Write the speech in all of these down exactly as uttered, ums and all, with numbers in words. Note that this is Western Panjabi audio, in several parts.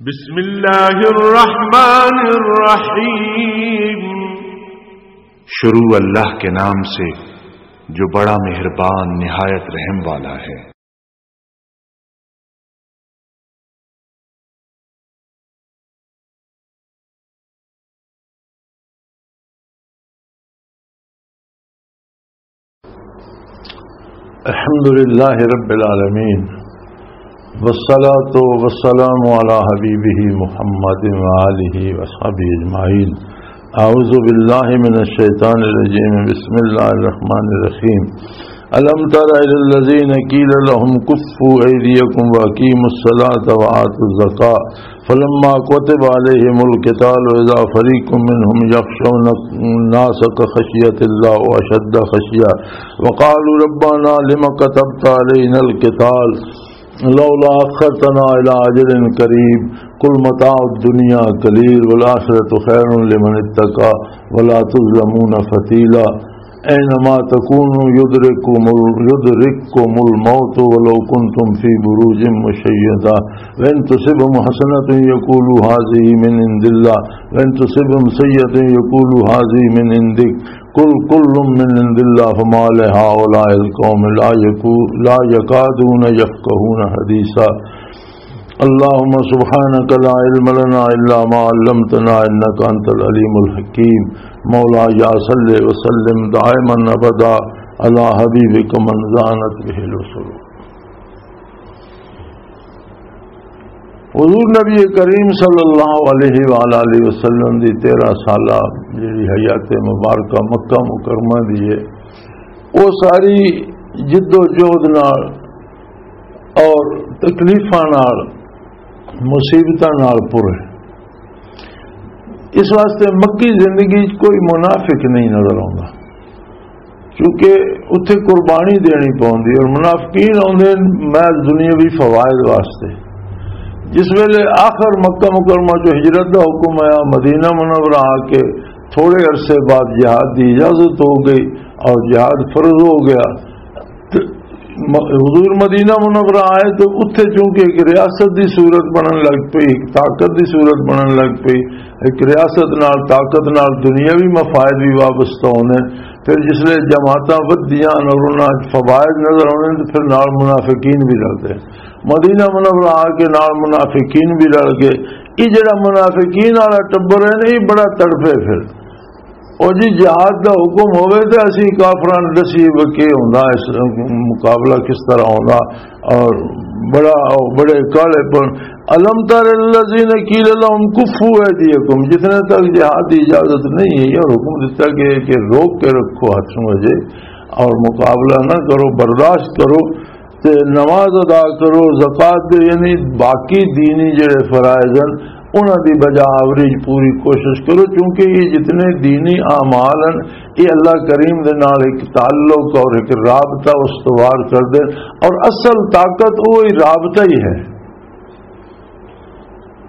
بسم اللہ الرحمن الرحیم۔ شروع اللہ کے نام سے، جو بڑا مہربان، نہایت رحم والا ہے۔ الحمد لله رب العالمين، والصلاة والسلام على حبيبه محمد وآله وأصحابه أجمعين. أعوذ بالله من الشيطان الرجيم. بسم الله الرحمن الرحيم. ألم تر إلى الذين قيل لهم كفوا أيديكم وأقيموا الصلاة وآتوا الزكاة فلما كتب عليهم القتال إذا فريق منهم يخشون الناس كخشية الله أو أشد خشية وقالوا ربنا لم كتبت علينا القتال لولا أخرتنا إلى أجل قريب قل متاع الدنيا قليل والآخرة خير لمن اتقى ولا تظلمون فتيلا. أينما تكونوا يدرككم ال-، يدرككم الموت ولو كنتم في بروج مشيدة. وإن تصبهم حسنة يقولوا هذه من عند الله، وإن تصبهم سيئة يقولوا هذه من عندك. قل كل من عند الله فما لهؤلاء القوم لا يكو-، لا يكادون يفقهون حديثا. اللهم سبحانك لا علم لنا إلا ما علمتنا إنك أنت العليم الحكيم. مولاي صل وسلم دائما أبدا على حبيبك من زانت به العصور. حضور نبی کریم صلی اللہ علیہ وآلہ وسلم دی تیرہ سالہ جڑی حیات مبارکہ مکہ مکرمہ دی ہے، وہ ساری جد و جہد نال اور تکلیفاں نال، مصیبتاں نال پر ہے۔ اس واسطے مکی زندگی وچ کوئی منافق نہیں نظر آوندا، کیونکہ اتھے قربانی دینی پوندی اور منافقین آوندے نے محض دنیاوی فوائد واسطے۔ جس ویلے آخر مکہ مکرمہ چوں ہجرت دا حکم آیا، مدینہ منورہ آ کے تھوڑے عرصے بعد جہاد دی اجازت ہو گئی اور جہاد فرض ہو گیا۔ تے م-، حضور مدینہ منورہ آئے تو اتھے چونکہ ایک ریاست دی صورت بنن لگ پئی، ایک طاقت دی صورت بنن لگ پئی، ایک ریاست نال، طاقت نال دنیاوی مفائد بھی وابستہ ہونے۔ پھر جس لئے جماعتاں ودیاں اور انہاں وچ فوائد نظر آونے تو پھر نال منافقین بھی رلدے۔ مدینہ منورہ آ کے نال منافقین بھی رل گئے۔ یہ جڑا منافقین والا ٹبر ہے نا، یہ بڑا تڑپے پھر۔ او جی، جہاد دا حکم ہووے تے اسی کافراں نوں دسیے وے کی ہوندا، اس مقابلہ کس طرح ہوندا، اور بڑا، بڑے کالے پن۔ الم تر الذین قیل لهم کفوا ایدیکم، جتنے تک جہاد دی اجازت نہیں ہے اور حکم دیتا گیا کہ روک کے رکھو ہاتھ نوں اجے اور مقابلہ نہ کرو، برداشت کرو، تے نماز ادا کرو، زکوٰۃ دے، یعنی باقی دینی جڑے فرائض ہیں، انہاں دی بجا آوری پوری کوشش کرو، کیونکہ یہ جتنے دینی اعمال ہیں، یہ اللہ کریم دے نال ایک تعلق اور ایک رابطہ استوار کر دے، اور اصل طاقت وہی رابطہ ہی ہے۔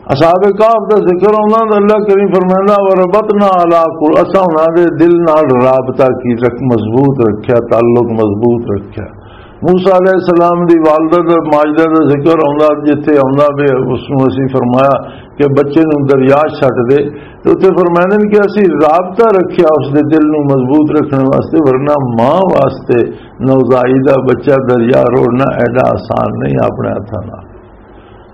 اصحاب کہف دا ذکر آندا تے اللہ کریم فرماندا، "وربطنا علی قل-"، اساں انہاں دے دل نال رابطہ کی رکھ-، مضبوط رکھیا، تعلق مضبوط رکھیا۔ موسیٰ علیہ السلام دی والدہ دا، ماجدہ دا ذکر آندا، جتھے آندا پے، اس نوں اسی فرمایا کہ بچے نوں دریا چھٹ دے، تے اتھے فرماندے نے کہ اسی رابطہ رکھیا اس دے دل نوں مضبوط رکھنے واسطے، ورنہ ماں واسطے نوزائیدہ بچہ دریا روڑنا ایڈا آسان نہیں اپنے ہتھاں نال۔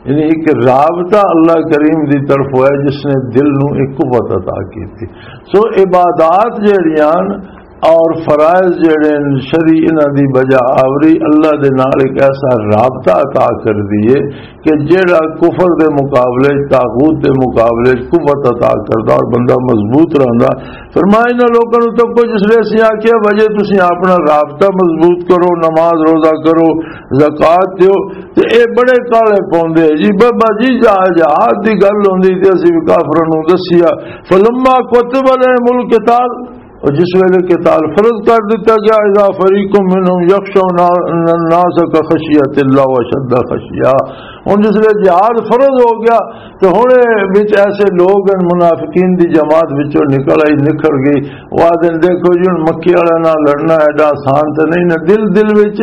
یعنی ایک رابطہ اللہ کریم دی طرف ہوا ہے جس نے دل نوں ایک قوت عطا کی تھی۔ سو عبادات جڑیاں اور فرائض جڑے ہیں شرعی، انہاں دی بجا آوری اللہ دے نال ایک ایسا رابطہ عطا کر دیے کہ جڑا کفر دے مقابلے، طاغوت دے مقابلے قوت عطا کردا اور بندہ مضبوط رہندا۔ فرمایا، انہاں لوکاں نوں تکو جس لے اسی آکھیا، "وجہ تسی اپنا رابطہ مضبوط کرو، نماز روزہ کرو، زکوٰۃ دیو۔" تے اے بڑے کالے پوندے جی، "بابا جی، جا-، جہاد دی گل ہوندی تے اسی بھی کافراں نوں دسیا۔" فلما کتب علیہم القتال، اور جس ویلے قتال فرض کر دتا گیا، "اذا فریق منہم یخشون الناس کخشیت اللہ و اشد خشیہ۔" ہن جس ویلے جہاد فرض ہو گیا، تے ہن اے وچ ایسے لوگ ہیں، منافقین دی جماعت وچوں نکل آئی، نکھر گئی۔ وہ آدھے، "دیکھو جی، ہن مکی والے نال لڑنا ایڈا آسان تے نہیں نا۔" دل، دل وچ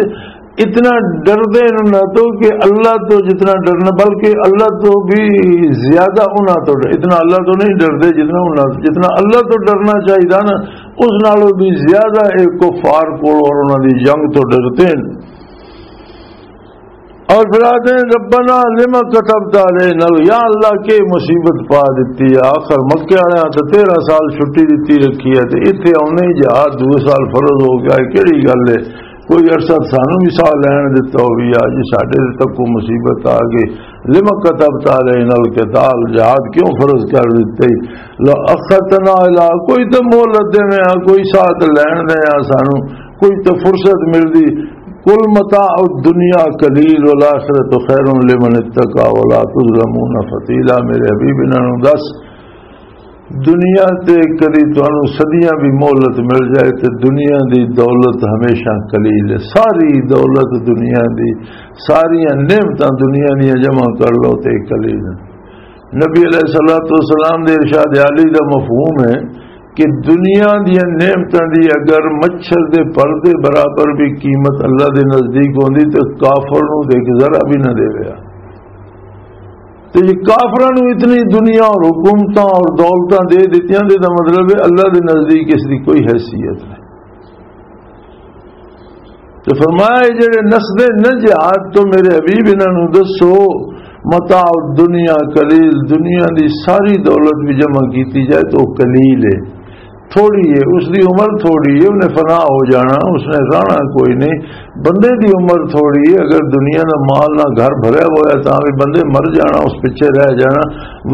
اتنا ڈردے انہاں تو کہ اللہ تو جتنا ڈرنا، بلکہ اللہ تو بھی زیادہ انہاں تو ڈر-، اتنا اللہ تو نہیں ڈردے جتنا انہاں، جتنا اللہ تو ڈرنا چاہیے نا، اس نالوں بھی زیادہ ایک کفار کو اور انہاں دی جنگ تو ڈرتے ہیں۔ اور پھر آتے ہیں، "ربنا لم كتبت علينا"، یا اللہ، کے مصیبت پا دیتی ہے؟ آخر مکے والے تو تیرہ سال چھٹی دیتی رکھی ہے، تے ایتھے آنے جہاد دو سال فرض ہو گیا ہے، کیڑی گل ہے؟ کوئی عرصہ سانوں بھی ساہ لین دتا ہو، بھی آ جی، ساڈے تے تک کوئی مصیبت آ گئی۔ "لم كتبت علينا القتال"، جہاد کیوں فرض کر دیتے؟ "لو اخرتنا الى"، کوئی تو مہلت دیویں آ، کوئی ساہ تے لین دے آ سانوں، کوئی تو فرصت ملدی۔ "قل متاع الدنيا قليل والآخرة خير لمن اتقى ولا تظلمون فتيلا"، میرے حبیب، انہاں نوں دس، دنیا تے کدی تانوں صدیاں بھی مہلت مل جائے تے دنیا دی دولت ہمیشہ قلیل ہے۔ ساری دولت دنیا دی، ساریاں نعمتاں دنیا دیاں جمع کر لو تے قلیل ہیں۔ نبی علیہ الصلوۃ والسلام دے ارشاد عالی دا مفہوم ہے کہ دنیا دیاں نعمتاں دی اگر مچھر دے پر دے برابر بھی قیمت اللہ دے نزدیک ہوندی تے کافر نوں تے ایک ذرا بھی نہ دیویا۔ تے جے کافراں نوں اتنی دنیا اور حکومتاں اور دولتاں دے دتیاں تے دا مطلب ہے اللہ دے نزدیک اس دی کوئی حیثیت نہیں۔ تے فرمایا، "اے جڑے نسدے نہ جہاد تو، میرے حبیب، انہاں نوں دسو، متاع الدنیا قلیل، دنیا دی ساری دولت بھی جمع کیتی جائے تو قلیل ہے، تھوڑی ہے، اس دی عمر تھوڑی ہے، انہیں فنا ہو جانا، اس نے رہنا کوئی نہیں۔ بندے دی عمر تھوڑی ہے، اگر دنیا دا مال نہ گھر بھریا ہوا ہے تاں بھی بندے مر جانا، اس پیچھے رہ جانا۔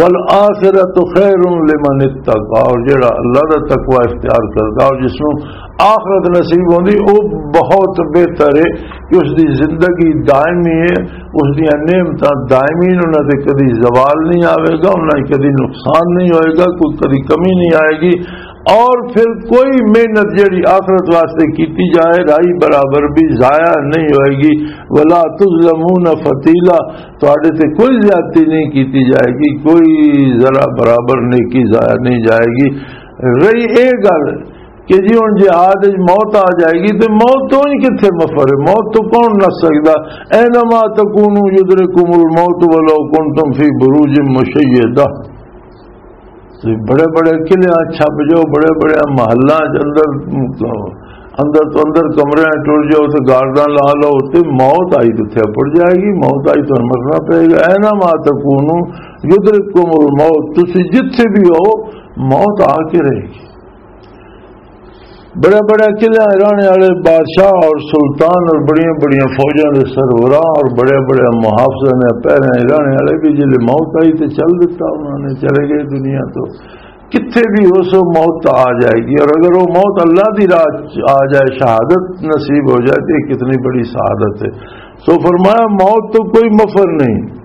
والآخرۃ خیر لمن اتقی"، اور جڑا اللہ دا تقوی اختیار کردا اور جس نوں آخرت نصیب ہوندی، او بہت بہتر ہے کہ اس دی زندگی دائمی ہے، اس دیاں نعمتاں دائمی نے، انہاں تے کدی زوال نہیں آوے گا، انہاں تے کدی نقصان نہیں ہوئے گا، کوئی کدی کمی نہیں آئے گی۔ اور پھر کوئی محنت جڑی آخرت واسطے کیتی جائے، رائی برابر بھی ضائع نہیں ہوئے گی۔ "ولا تظلمون فتیلا"، تہاڈے تے کوئی زیادتی نہیں کیتی جائے گی، کوئی ذرا برابر نیکی ضائع نہیں جائے گی۔ رہی اے گل کہ جی ہن جہاد وچ موت آ جائے گی، تے موت تو ہی کتھے مفر ہے؟ موت تو کون نس سکدا؟ "اینما تکونوا یدرککم الموت ولو کنتم فی بروج مشیدہ"۔ تے بڑے بڑے قلعیاں چھپ جاؤ، بڑے بڑے محلاں چ اندر، اندر تو اندر کمرے ٹر جاؤ تے گارداں لا لو، تے موت آئی تو اتھے پڑ جائے گی، موت آئی تو مرنا پے گا۔ "اینما تکونوا یدرککم الموت"، تسی جتھے بھی ہو، موت آ کے رہے گی۔ بڑے بڑے قلعے رہنے والے بادشاہ اور سلطان اور بڑیاں بڑیاں فوجاں دے سربراہ اور بڑے بڑے محافظاں دے پہرے رہنے والے بھی جلے موت آئی تے چل دیتا، انہوں نے چلے گئے دنیا تو۔ کتھے بھی ہو سو موت آ جائے گی، اور اگر وہ موت اللہ دی راہ چ آ جائے، شہادت نصیب ہو جائے تو یہ کتنی بڑی سعادت ہے۔ سو فرمایا، موت تو کوئی مفر نہیں۔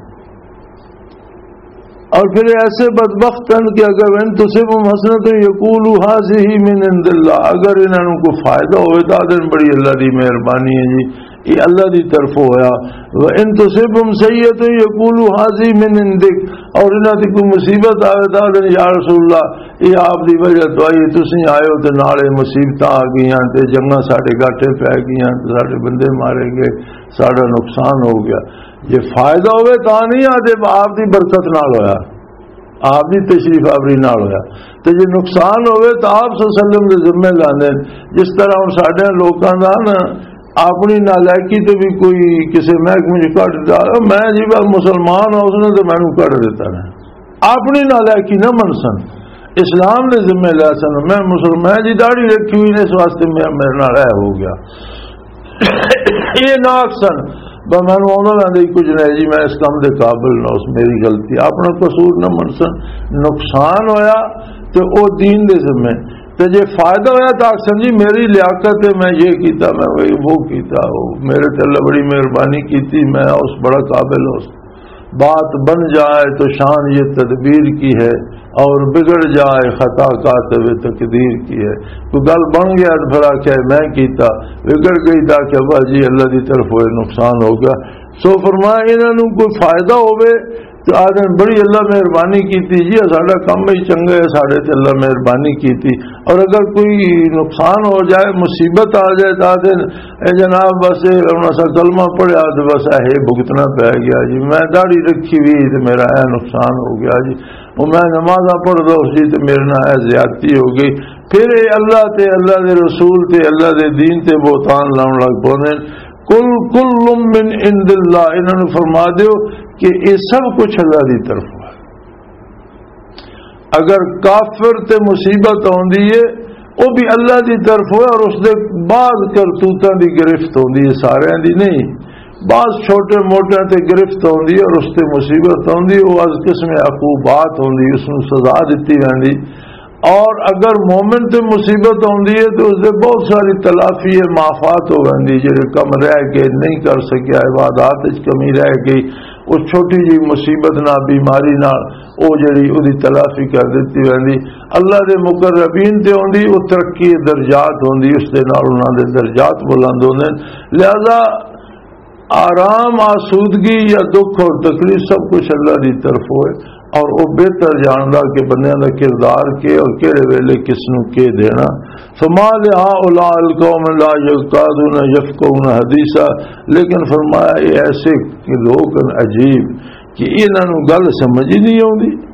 اور پھر ایسے بدبخت ہیں کہ اگر ان تصبهم حسنة یقولوا هذه من عند الله، اگر انہاں نوں کوئی فائدہ ہوئے تو آدھن بڑی اللہ دی مہربانی ہے جی، یہ اللہ دی طرف ہویا۔ وان تصبهم سیئة یقولوا هذه من عندک، اور انہاں دی کوئی مصیبت آوے تو آدھن یا رسول اللہ، یہ آپ دی وجہ تو آئی، تسی آئے ہو تے نال یہ مصیبتاں آ گئیاں تے جنگاں ساڈے گاٹے پے گئیاں تے ساڈے بندے مارے گئے، ساڈا نقصان ہو گیا۔ جے فائدہ ہوئے تاں نہیں آدھے آپ دی برکت نال ہویا، آپ دی تشریف آوری نال ہویا۔ تے جے نقصان ہوئے تاں آپ صلی اللہ علیہ وسلم دے ذمہ لاندے۔ جس طرح ہن ساڈے لوکاں دا نا اپنی نالائقی تے بھی کوئی کسے محکمے چ کڈ دتا، "میں جی بس مسلمان ہاں، اس نے تے مینوں کڈ دتا نا۔" اپنی نالائقی نہ من سن، اسلام دے ذمہ لے سن۔ میں مسلمان، میں جی داڑھی رکھی ہوئی نے، اس واسطے میں، میرے نال اے ہو گیا۔ یہ نہ آکھ سن، "بس مینوں آندا ویندا ہی کچھ نہیں جی، میں اس کام دے قابل نہ، اس میری غلطی، اپنا قصور نہ من سن۔" نقصان ہویا تے او دین دے ذمہ، تے جے فائدہ ہویا تو آکھ سن، "جی میری لیاقت ہے، میں یہ کیتا، میں وہ، وہ کیتا، وہ میرے تے اللہ بڑی مہربانی کیتی، میں اس بڑا قابل ہوں۔" بات بن جائے تو شان یہ تدبیر کی ہے، اور بگڑ جائے خطا کاتب تقدیر کی ہے۔ تو گل بن گیا تو پھر آکھیا میں کیتا، بگڑ گئی تو آکھیا واہ جی اللہ دی طرف ہوئے نقصان ہو گیا۔ سو فرمایا انہاں نوں کوئی فائدہ ہوے تو آدھے، "بڑی اللہ مہربانی کیتی جی، ساڈا کم ہی چنگا ہے، ساڈے تے اللہ مہربانی کیتی۔" اور اگر کوئی نقصان ہو جائے، مصیبت آ جائے، تو آدھے، "اے جناب، بس اے ہن اساں کلمہ پڑھیا تے بس اے بھگتنا پی گیا جی، میں داڑھی رکھی ہوئی تے میرا اے نقصان ہو گیا جی، وہ میں نمازاں پڑھدا اس جی تے میرے نال اے زیادتی ہو گئی۔" پھر اے اللہ تے اللہ دے رسول تے اللہ دے دین تے بہتان لاؤن لگ پوندے نے۔ "قل کل من عند اللہ"، انہاں نوں فرما دیو کہ اے سب کچھ اللہ دی طرف ہے۔ اگر کافر تے مصیبت آندی ہے، وہ بھی اللہ دی طرف ہوئے، اور اس دے بعض کرتوتاں دی گرفت ہوندی ہے، ساریاں دی نہیں۔ بعض چھوٹے موٹے تے گرفت ہوندی ہے اور اس تے مصیبت ہوندی ہے، وہ از قسم عقوبات ہوندی، اس نوں سزا دتی ویندی۔ اور اگر مومن تے مصیبت ہوندی ہے تو اس دے بہت ساری تلافی ہے، معافات ہو ویندی، جڑے کم رہ گئے، نہیں کر سکیا، عبادات وچ کمی رہ گئی، وہ چھوٹی جی مصیبت نہ، بیماری نہ، او جڑی اودی تلافی کر دتی ویندی۔ اللہ دے مقربین تے ہوندی، او ترقی درجات ہوندی، اس دے نال انہاں دے درجات بلند ہوندے نے۔ لہذا آرام، آسودگی یا دکھ اور تکلیف سب کچھ اللہ دی طرف ہوئے، اور وہ بہتر جاندا کہ بندیاں دا کردار کے اور کہڑے ویلے کس نوں کے دینا۔ فما لہؤلاء القوم لا یکادون یفقهون حدیثا، لیکن فرمایا، یہ ایسے لوگ ہیں عجیب کہ انہاں نوں گل سمجھ ہی نہیں آوندی۔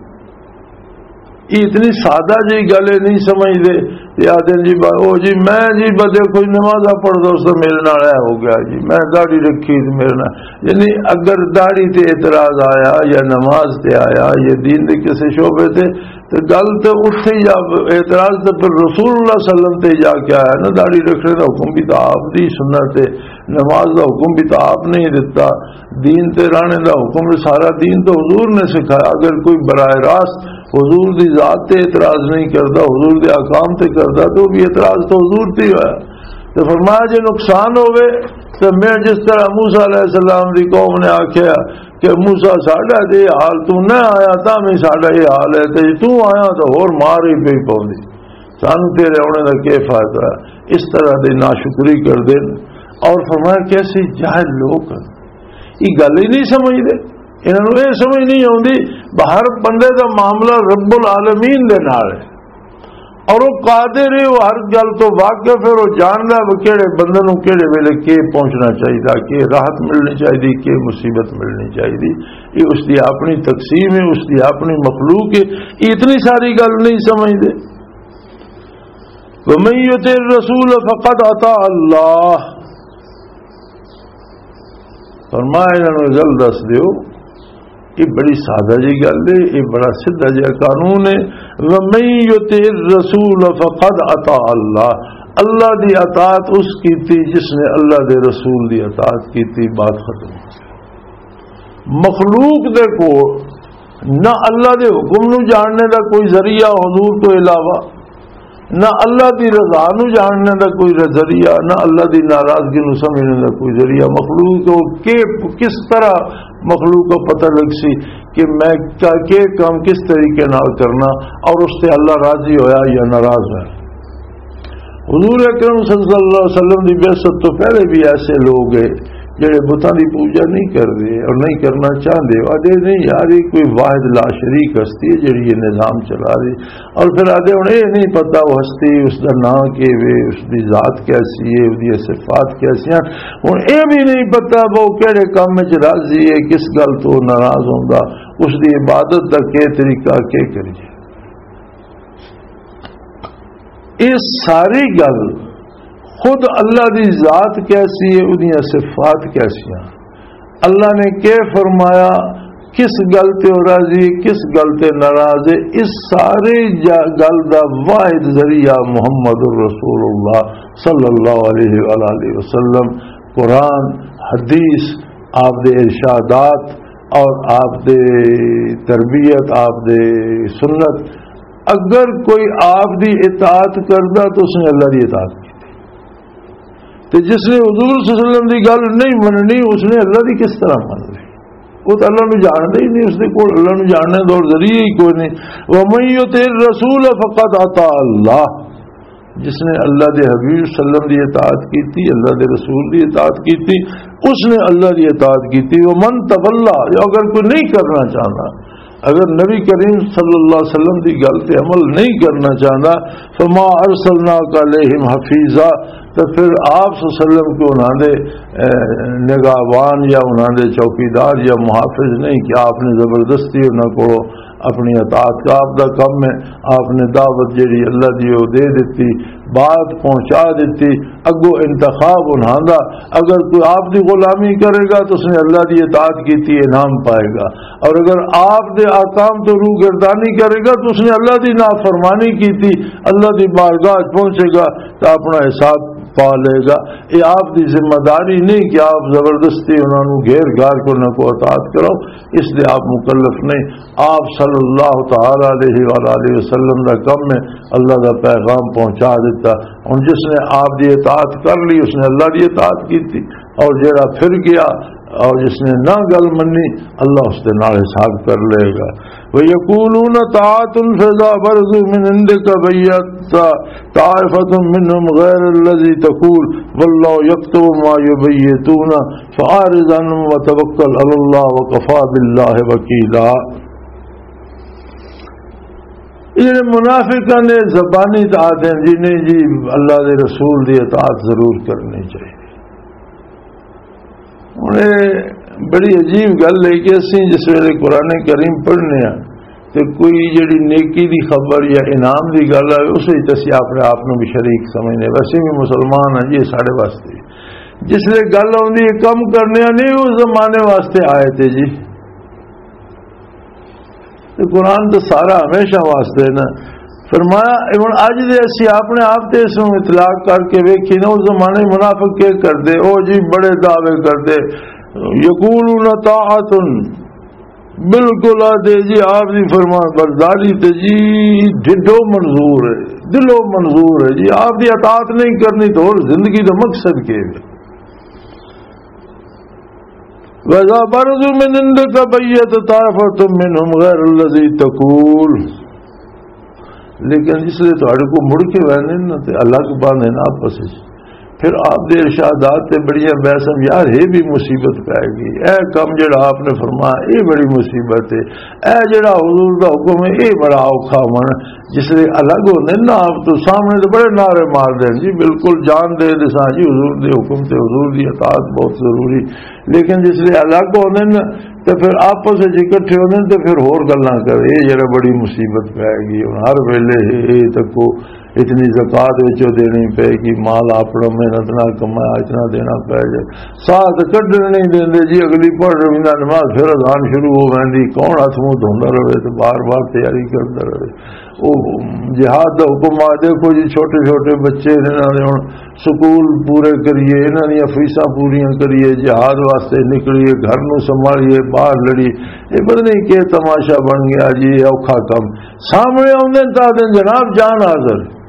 یہ اتنی سادہ جی گل ہے، نہیں سمجھدے۔ یہ آدھے جی، با-، او جی، میں جی بدے کوئی نمازاں پڑھدا، اس دا میرے نال اے ہو گیا جی، میں داڑھی رکھی تے میرے نال، یعنی اگر داڑھی تے اعتراض آیا یا نماز تے آیا یا دین دے کسے شعبے تے، تے گل تے اتھے ہی جا، اعتراض تے پھر رسول اللہ صلی اللہ علیہ وسلم تے جا کے آیا نا۔ داڑھی رکھنے دا حکم بھی تو آپ دی سنت ہے، نماز دا حکم بھی تو آپ نہیں دتا، دین تے رہنے دا حکم بھی، سارا دین تو حضور نے سکھایا۔ اگر کوئی براہ راست حضور دی ذات تے اعتراض نہیں کردا، حضور دے احکام تے کردا، تو بھی اعتراض تو حضور تے ہی ہویا۔ تو فرمایا، جے نقصان ہوے تو میں جس طرح موسیٰ علیہ السلام دی قوم نے آکھیا کہ موسیٰ، ساڈا تے یہ حال، تو نہ آیا تاں بھی ساڈا یہ حال ہے، تے تو آیا تو ہور مار ہی پئی پوندی، سانو تیرے آنے دا کی فائدہ؟ اس طرح دی ناشکری کردے نے۔ اور فرمایا، کیسے جاہل لوگ ہیں، یہ گل ہی نہیں سمجھدے، انہاں نوں یہ سمجھ نہیں آوندی۔ ہر بندے دا معاملہ رب العالمین دے نال ہے، اور وہ قادر ہے، وہ ہر گل تو واقف ہے، وہ جاندا ہے وہ کہڑے بندے نوں کہڑے ویلے کی پہنچنا چاہیے، کی راحت ملنی چاہیے، کی مصیبت ملنی چاہیے۔ یہ اس دی اپنی تقسیم ہے، اس دی اپنی مخلوق ہے، یہ اتنی ساری گل نہیں سمجھدے۔ وَمَن يُطِعِ الرَّسُولَ فَقَدْ أَطَاعَ اللَّهَ۔ فرمایا، انہاں نوں گل دس دیو، یہ بڑی سادہ جی گل ہے، یہ بڑا سیدھا جہا قانون ہے۔ وَمَن يُطِعِ الرَّسُولَ فَقَدْ أَطَاعَ اللَّهَ، اللہ دی اطاعت اس کیتی جس نے اللہ دے رسول دی اطاعت کیتی، بات ختم۔ مخلوق دے کول نہ اللہ دے حکم نو جاننے دا کوئی ذریعہ حضور تو علاوہ، نہ اللہ دی رضا نو جاننے دا کوئی ذریعہ، نہ اللہ دی ناراضگی نو سمجھنے دا کوئی ذریعہ۔ مخلوق کو کہ، کس طرح مخلوق کو پتہ لگ سی کہ میں کیا، کہ کام کس طریقے نال کرنا اور اس سے اللہ راضی ہویا یا ناراض ہے؟ حضور اکرم صلی اللہ علیہ وسلم دی بعثت تو پہلے بھی ایسے لوگ ہیں جڑے بتاں دی پوجا نہیں کردے اور نہیں کرنا چاہندے۔ وہ آدھے، "نہیں یار، یہ کوئی واحد لا شریک ہستی ہے جڑی یہ نظام چلا رہی۔" اور پھر آدھے، "ہن یہ نہیں پتا وہ ہستی، اس دا نام کی وے، اس دی ذات کیسی ہے، اس دی صفات کیسی ہیں۔" ہن یہ بھی نہیں پتا وہ کہڑے کام وچ راضی ہے، کس گل تو ناراض ہوندا، اس دی عبادت دا کی طریقہ، کی کریے۔ یہ ساری گل خود اللہ دی ذات کیسی ہے، اودیاں صفات کیسیاں، اللہ نے کی فرمایا، کس گل تے وہ راضی ہے، کس گل تے ناراض ہے، اس سارے جا-، گل دا واحد ذریعہ محمد الرسول اللہ صلی اللہ علیہ وآلہ وسلم، قرآن، حدیث، آپ دے ارشادات اور آپ دے تربیت، آپ دے سنت۔ اگر کوئی آپ دی اطاعت کردا تو اس نے اللہ دی اطاعت کی، تے جس نے حضور صلی اللہ علیہ وسلم دی گل نہیں مننی، اس نے اللہ دی کس طرح من لی؟ وہ تو اللہ نو جاندا ہی نہیں، اس دے کول اللہ نو جاننے دا اور ذریعہ ہی کوئی نہیں۔ وَمَن يُطِعِ الرَّسُولَ فَقَدْ أَطَاعَ اللَّهَ۔ جس نے اللہ دے حبیب صلی اللہ علیہ وسلم دی اطاعت کیتی، اللہ دے رسول دی اطاعت کیتی، اس نے اللہ دی اطاعت کیتی۔ ومن تولا، اگر کوئی نہیں کرنا چاہتا، اگر نبی کریم صلی اللہ علیہ وسلم دی گل تے عمل نہیں کرنا چاہتا، فما ارسلناک علیہم حفیظا، تو پھر آپ صلی اللہ علیہ وسلم کو انہاں دے، اے، نگہبان یا انہاں دے چوکیدار یا محافظ نہیں کہ آپ نے زبردستی انہاں کو اپنی اطاعت کا آپ دا کم ہے، آپ نے دعوت جڑی اللہ دی وہ دے دیتی، بات پہنچا دیتی، اگو انتخاب انہاں دا۔ اگر کوئی آپ دی غلامی کرے گا تو اس نے اللہ دی اطاعت کیتی، انعام پائے گا، اور اگر آپ دے احکام تو روح گردانی کرے گا تو اس نے اللہ دی نافرمانی کیتی، اللہ دی بارگاہ وچ پہنچے گا تو اپنا حساب پا لے گا۔ یہ آپ دی ذمہ داری نہیں کہ آپ زبردستی انہاں نوں گھیر گھار کے انہاں کو اطاعت کرو، اس دے آپ مکلف نہیں۔ آپ صلی اللہ تعالی علیہ وآلہ وسلم دا کم ہے اللہ دا پیغام پہنچا دیتا۔ ہن جس نے آپ دی اطاعت کر لی، اس نے اللہ دی اطاعت کیتی، اور جیڑا پھر گیا اور جس نے نہ گل منی، اللہ اس دے نال حساب کر لے گا۔ وَيَقُولُونَ طَاعَةٌ فَإِذَا بَرَزُوا مِنْ عِنْدِكَ بَيَّتَ طَائِفَةٌ مِنْهُمْ غَيْرَ الَّذِي تَقُولُ وَاللَّهُ يَكْتُبُ مَا يُبَيِّتُونَ فَأَعْرِضْ عَنْهُمْ وَتَوَكَّلْ عَلَى اللَّهِ وَكَفَى بِاللَّهِ وَكِيلًا۔ یہ جڑے منافقاں نے زبانی اطاعت ہیں جی، نہیں جی، اللہ دے رسول دی اطاعت ضرور کرنی چاہیے۔ ہن اے بڑی عجیب گل ہے کہ اسی جس ویلے قرآن کریم پڑھنے ہاں تے کوئی جڑی نیکی دی خبر یا انعام دی گل آئے، اس وچ اسی اپنے آپ نوں بھی شریک سمجھنے، ویسے بھی مسلمان ہیں جی، یہ سارے واسطے۔ جس لے گل آؤندی ہے کم کرنے نہیں، اس زمانے واسطے آئے تھے جی۔ تے قرآن تو سارا ہمیشہ واسطے ہے نا۔ فرمایا، ہن اج دے اسی اپنے آپ تے اس نوں اطلاق کر کے ویکھی نا، اس زمانے منافق کے کردے، او جی بڑے دعوے کردے، یقولون طاعت، بالکل آدھے جی آپ دی فرمان برداری تے جی ڈھڈو منظور ہے، دلوں منظور ہے جی، آپ دی اطاعت نہیں کرنی تو اور زندگی دا مقصد کے ہے؟ وَإِذَا بَرَزُوا مِنْ عِنْدِكَ بَيَّتَ طَائِفَةٌ مِنْهُمْ غَيْرَ الَّذِي تَقُولُ۔ لیکن جس لے تہاڈے کو مڑ کے ویندے نا تے الگ باندھے نا آپس وچ، پھر آپ دے ارشادات تے بڑیاں بحثاں، یار یہ بھی مصیبت پے گئی، اے کم جڑا آپ نے فرمایا یہ بڑی مصیبت ہے، اے جڑا حضور دا حکم ہے یہ بڑا اوکھا من۔ جس لے الگ ہوندے نا آپ تو سامنے تے بڑے نعرے مار دین جی، بالکل جان دے دساں جی حضور دے حکم تے حضور دی اطاعت بہت ضروری۔ لیکن جس لے الگ ہوندے نا تے پھر آپس وچ اکٹھے ہوندے تے پھر ہور گلاں کرے، یہ جڑا بڑی مصیبت پے گئی۔ ہن ہر ویلے یہ تکو اتنی زکوٰۃ وچوں دینی پے گی، مال اپنا محنت نال کمایا اتنا دینا پے جائے، ساتھ کڈن نہیں دیندے جی۔ اگلی پڑھ رہی نماز، پھر اذان شروع ہو ویندی، کون ہاتھ منہ دھوندا رہے تے بار بار تیاری کردا رہے۔ او جہاد دا حکم آ، دیکھو جی، چھوٹے چھوٹے بچے نے، انہاں نے ہن سکول پورے کریے، انہاں دیاں فیساں پوریاں کریے، جہاد واسطے نکلیے، گھر نوں سنبھالیے، باہر لڑیے، یہ پتہ نہیں کہ تماشا بن گیا جی، یہ اوکھا کم۔ سامنے آوندے نے تاں آدھے نے، "جناب، جان حاضر۔"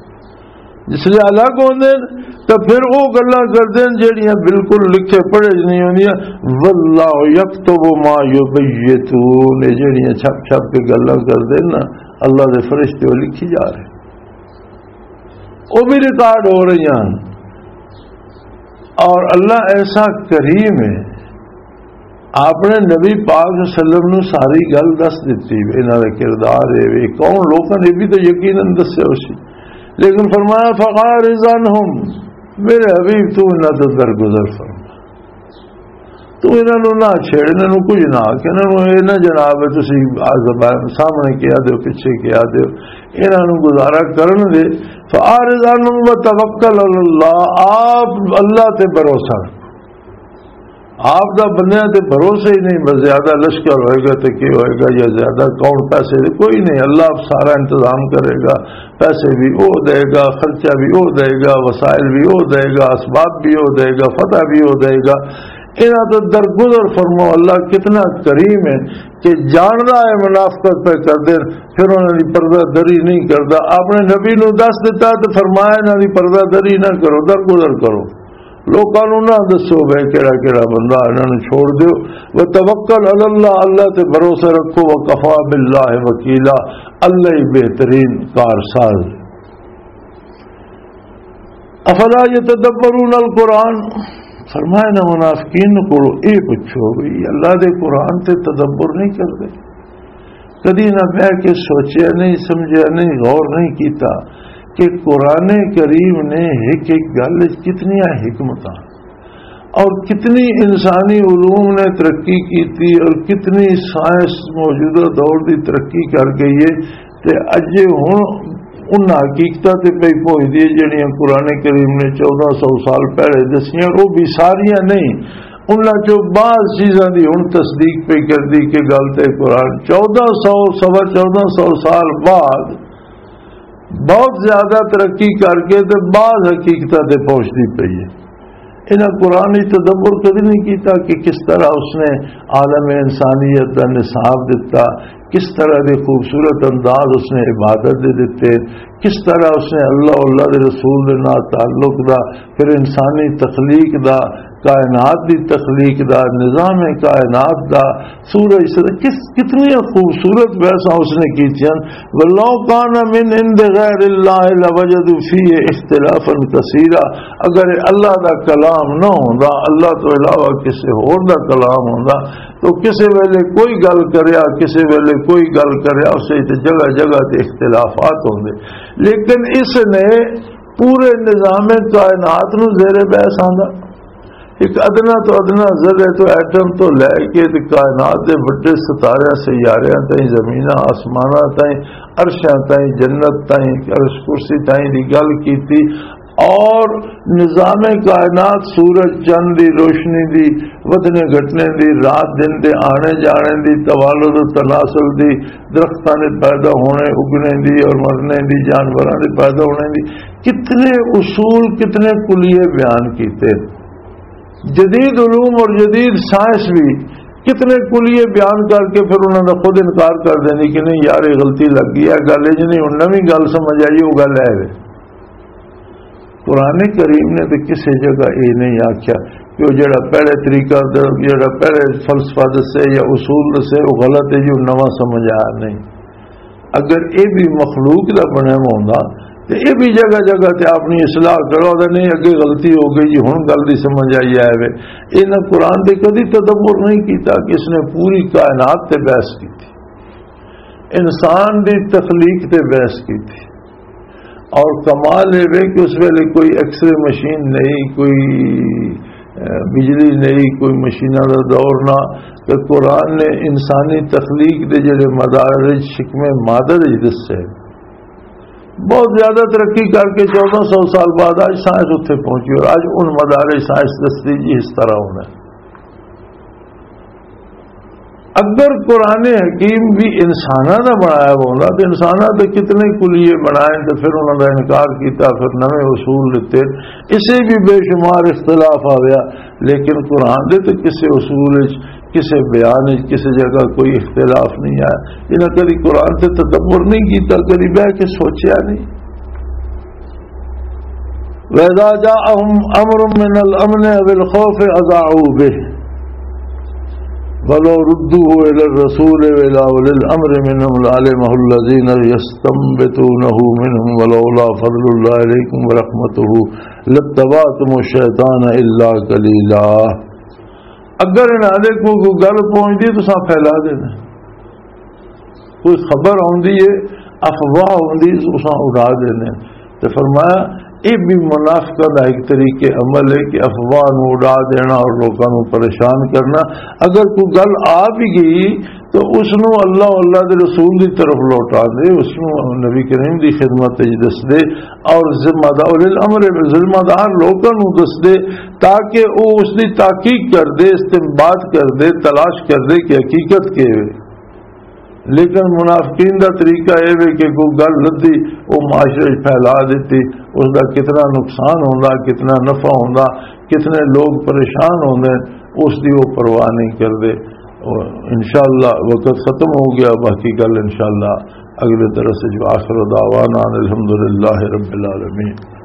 جس لے الگ ہوندے نے، تاں پھر او گلاں کردے نے جڑیاں بالکل لکھے پڑھے نہیں ہوندیاں۔ "واللہ یکتب ما یبیتون"، یہ جڑیاں چھپ چھپ کے گلاں کردے نے نا، اللہ دے فرشتے وہ لکھی جا رہے، وہ بھی ریکارڈ ہو رہی ہیں۔ اور اللہ ایسا کریم ہے، آپ نے نبی پاک صلی اللہ علیہ وسلم نو ساری گل دس دتی، انہاں دا کردار ہے، وی کون لوکاں نے بھی تو یقیناً دسیا اسی۔ لیکن فرمایا، "فَأَعْرِضْ عَنْهُمْ"، میرے حبیب تو انہاں تو درگزر فرما، تو انہاں نو نہ چھیڑ، انہاں نو کچھ نہ آکھ، انہاں نو اے نہ جناب ہے تسی آ زبان سامنے کیا دیو، پیچھے کیا دیو، انہاں نو گزارا کرن دے۔ "فَأَعْرِضْ عَنْهُمْ وَتَوَكَّلْ عَلَى اللَّهِ"، آپ اللہ تے بھروسہ رکھو۔ آپ دا بندیاں تے بھروسہ ہی نہیں، بس زیادہ لشکر ہوئے گا تے کی ہوئے گا، یا زیادہ کون پیسے دے، کوئی نہیں، اللہ آپ سارا انتظام کرے گا، پیسے بھی او دے گا، خرچہ بھی او دے گا، وسائل بھی او دے گا، اسباب بھی او دے گا، فتح بھی او دے گا۔ انہاں تو درگزر فرماؤ، اللہ کتنا کریم ہے کہ جاندا ہے منافقت پہ کردے، پھر انہاں دی پردہ دری نہیں کردا۔ اپنے نبی نو دس دتا تے فرمایا، "انہاں دی پردہ دری نہ کرو، درگزر کرو۔" لوکاں نوں نہ دسو بھائی کیڑا کیڑا بندہ، انہاں نوں چھوڑ دیو۔ وتوکل علی اللہ، اللہ تے بھروسہ رکھو۔ وکفی باللہ وکیلا، اللہ ہی بہترین کارساز۔ افلا یتدبرون القرآن؟ فرمایا نہ منافقین کو، اے پوچھو بھی، اللہ دے قرآن تے تدبر نہیں کرتے؟ کدی نہ بہ کے سوچیا نہیں، سمجھیا نہیں، غور نہیں کیتا کہ قرآن کریم نے ایک ایک گل وچ کتنیاں حکمتاں اور کتنی انسانی علوم نے ترقی کیتی اور کتنی سائنس موجودہ دور دی ترقی کر گئی ہے۔ تے اجے ہن انہاں حقیقتاں تے پئی پہنچدی ہے جڑیاں قرآن کریم نے چودہ سو سال پہلے دسیاں، وہ بھی ساریاں نہیں۔ انہاں چوں بعض چیزاں دی ہن تصدیق پئی کردی کہ گل تے قرآن چودہ سو، سوا چودہ سو سال بعد بہت زیادہ ترقی کر کے تے بعض حقیقتاں تے پہنچدی پئی ہے۔ انہاں قرآن وچ تدبر کدی نہیں کیتا کہ کس طرح اس نے عالم انسانیت دا نصاب دتا، کس طرح دے خوبصورت انداز اس نے عبادت دے دتے، کس طرح اس نے اللہ، اللہ دے رسول دے نال تعلق دا، پھر انسانی تخلیق دا، کائنات دی تخلیق دا، نظام کائنات دا، سورج سے کس، کتنی خوبصورت بحثاں اس نے کی تھیاں۔ "ولو کان من عند غیر اللہ لوجدوا فیہ اختلافا کثیرا"، اگر اللہ دا کلام نہ ہوندا، اللہ تو علاوہ کسی ہور دا کلام ہوندا، تو کسی ویلے کوئی گل کریا، کسی ویلے کوئی گل کریا، اسے تے جگہ جگہ تے اختلافات ہوندے۔ لیکن اس نے پورے نظام کائنات نو زیر بحث آندا۔ ایک ادنا تو ادنا ذرے تو ایٹم تو لے کے تے کائنات دے وڈے ستاریاں، سیاریاں تائیں، زمیناں، آسماناں تائیں، عرشاں تائیں، جنت تائیں، عرش کرسی تائیں دی گل کیتی، اور نظام کائنات، سورج، چند دی روشنی دی، ودھنے گھٹنے دی، رات دن دے آنے جانے دی، توالد و تناسل دی، درختاں دے پیدا ہونے، اگنے دی اور مرنے دی، جانوراں دے پیدا ہونے دی، کتنے اصول، کتنے کلیے بیان کیتے۔ جدید علوم اور جدید سائنس بھی کتنے کلیے بیان کر کے پھر انہاں دا خود انکار کر دیندی کہ نہیں یار، یہ غلطی لگ گئی ہے، گل اج نہیں، ہن نویں گل سمجھ آئی، وہ گل ہے وے۔ قرآن کریم نے تے کسے جگہ یہ نہیں آکھیا کہ وہ جڑا پہلے طریقہ، جڑا پہلے فلسفہ دسے یا اصول دسے، وہ غلط ہے جی، وہ نواں سمجھ آیا نہیں۔ اگر یہ بھی مخلوق دا بنیا ہوندا تے یہ بھی جگہ جگہ تے اپنی اصلاح کرو، اگر نہیں اگے غلطی ہو گئی جی، ہن گل دی سمجھ آئی آئے وے۔ انہاں قرآن دے کدی تدبر نہیں کیتا کہ اس نے پوری کائنات تے بحث کیتی، انسان دی تخلیق تے بحث کیتی۔ اور کمال یہ وے کہ اس ویلے کوئی ایکس رے مشین نہیں، کوئی، اے، بجلی نہیں، کوئی مشیناں دا دور نہ، تے قرآن نے انسانی تخلیق دے جڑے مدارج، شکم مادر وچ دسے، بہت زیادہ ترقی کر کے چودہ سو سال بعد آج سائنس اتھے پہنچی اور آج ان مدارج سائنس دستی جی اس طرح ہونا ہے۔ اگر قرآن حکیم بھی انساناں دا بنایا ہوندا تے انساناں دے کتنے کلیے بنائے تے پھر انہاں دا انکار کیتا، پھر نویں اصول دتے، اسے بھی بے شمار اختلاف آ گیا۔ لیکن قرآن دے تے کسے اصول وچ، کسے بیان وچ، کسے جگہ کوئی اختلاف نہیں آیا۔ انہاں کدی قرآن تے تدبر نہیں کیتا، کدی بہ کے سوچیا نہیں۔ وَإِذَا جَاءَهُمْ أَمْرٌ مِّنَ الْأَمْنِ أَوِ الْخَوْفِ أَذَاعُوا بِهِ وَلَوْ رُدُّوهُ إِلَى الرَّسُولِ وَإِلَى أُولِي الْأَمْرِ مِنْهُمْ لَعَلِمَهُ الَّذِينَ يَسْتَنبِطُونَهُ مِنْهُمْ وَلَوْلَا فَضْلُ اللَّهِ عَلَيْكُمْ وَرَحْمَتُهُ لَاتَّبَعْتُمُ الشَّيْطَانَ إِلَّا قَلِيلًا۔ اگر انہاں دے کوئی گل پہنچدی، تساں پھیلا دینا۔ کوئی خبر آندی ہے، افواہ آندی، اساں اڑا دینے۔ تے فرمایا، یہ بھی منافقاں دا ایک طریقے عمل ہے کہ افواہ نو اڑا دینا اور لوکاں نو پریشان کرنا۔ اگر کوئی گل آ بھی گئی تو اس نو اللہ، اللہ دے رسول دی طرف لوٹا دے، اس نو نبی کریم دی خدمت وچ دس دے، اور ذمہ دار، اولی الامر، ذمہ دار لوکاں نو دس دے، تاکہ او اس دی تحقیق کر دے، استنباط کر دے، تلاش کر دے کہ حقیقت کیا ہے۔ لیکن منافقین دا طریقہ اے وے کہ کوئی گل لدھی، او معاشرے وچ پھیلا دتی، اس دا کتنا نقصان ہوندا، کتنا نفع ہوندا، کتنے لوگ پریشان ہوندے، اس دی وہ پرواہ نہیں کردے۔ اور انشاءاللہ وقت ختم ہو گیا، باقی گل انشاءاللہ اگلے درس وچ۔ وآخر دعوانا ان الحمدللہ رب العالمین۔